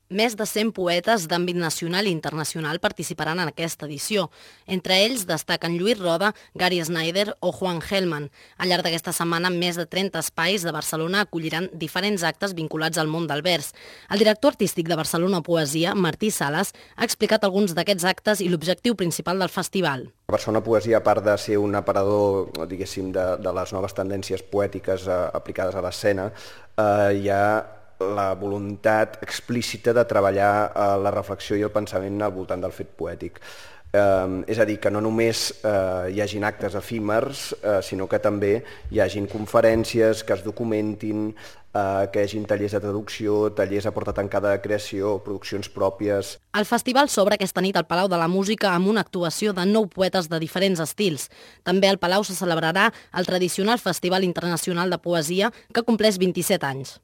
Més de 100 poetes d'àmbit nacional i internacional participaran en aquesta edició. Entre ells destaquen Lluís Roda, Gary Snyder o Juan Gelman. Al llarg d'aquesta setmana, més de 30 espais de Barcelona acolliran diferents actes vinculats al món del vers. El director artístic de Barcelona Poesia, Martí Sales, ha explicat alguns d'aquests actes i l'objectiu principal del festival. Barcelona Poesia, a part de ser un aparador, diguéssim, de les noves tendències poètiques aplicades a l'escena, hi ha la voluntat explícita de treballar la reflexió i el pensament al voltant del fet poètic. És a dir, que no només hi hagin actes efímers, sinó que també hi hagin conferències que es documentin, que hi hagin tallers de traducció, tallers a porta tancada de creació, produccions pròpies. El festival s'obre aquesta nit al Palau de la Música amb una actuació de 9 poetes de diferents estils. També al Palau se celebrarà el tradicional Festival Internacional de Poesia, que compleix 27 anys.